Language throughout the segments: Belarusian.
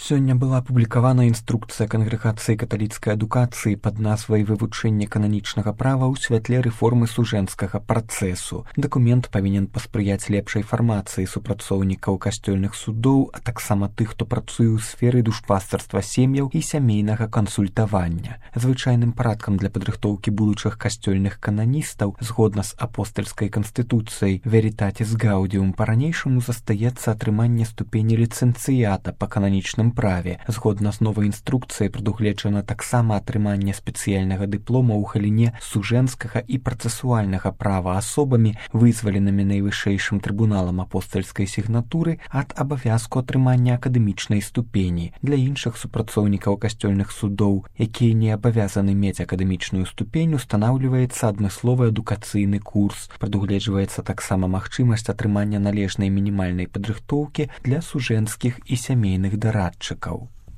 Сёння была апублікавана інструкцыя Кангрэгацыі каталіцкай адукацыі пад назвай «Вывучэнне кананічнага права ў святле рэформы сужэнскага працэсу». Дакумент павінен паспрыяць лепшай фармацыі супрацоўнікаў касцёльных судоў, а таксама тых, хто працуе ў сферы душпастарства сем'яў і сямейнага кансультавання. Звычайным парадкам для падрыхтоўкі будучых касцёльных кананістаў згодна з апостальскай канстытуцыяй «Veritatis Gaudium» па-ранейшаму застаецца атрыманне ступені ліцэнцыята па кананічным праве. Згодна з новай інструкцыяй прадугледжана таксама атрыманне спецыяльнага дыплома ў галіне сужэнскага і працэсуальнага права асобамі, вызваленымі найвышэйшым трыбуналам апостальскай сігнатуры ад абавязку атрымання акадэмічнай ступені. Для іншых супрацоўнікаў касцёльных судоў, якія не абавязаны мець акадэмічную ступень, устанаўліваецца адмысловы адукацыйны курс. Прадугледжваецца таксама магчымасць атрымання належнай мінімальнай падрыхтоўкі для сужэнскіх і сямейных дарадчыкаў.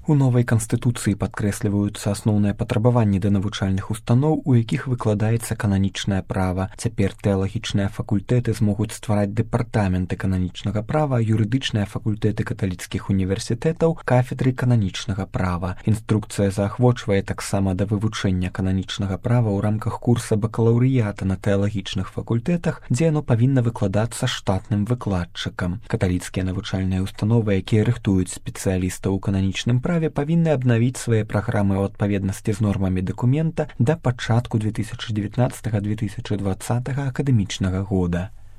У новай канстытуцыі падкрэсліваюцца асноўныя патрабаванні да навучальных устаноў, у якіх выкладаецца кананічнае права. Цяпер тэалагічныя факультэты змогуць ствараць дэпартаменты кананічнага права, юрыдычныя факультэты каталіцкіх універсітэтаў, кафедры кананічнага права. Інструкцыя заахвочвае таксама да вывучэння кананічнага права ў рамках курса бакалаўрыята на тэалагічных факультэтах, дзе яно павінна выкладацца штатным выкладчыкам. Каталіцкія навучальныя установы, якія рыхтуюць спецыялістаў у кананічным праве, павінны абнавіць свае праграмы ў адпаведнасці з нормамі дакумента да пачатку 2019-2020 акадэмічнага года.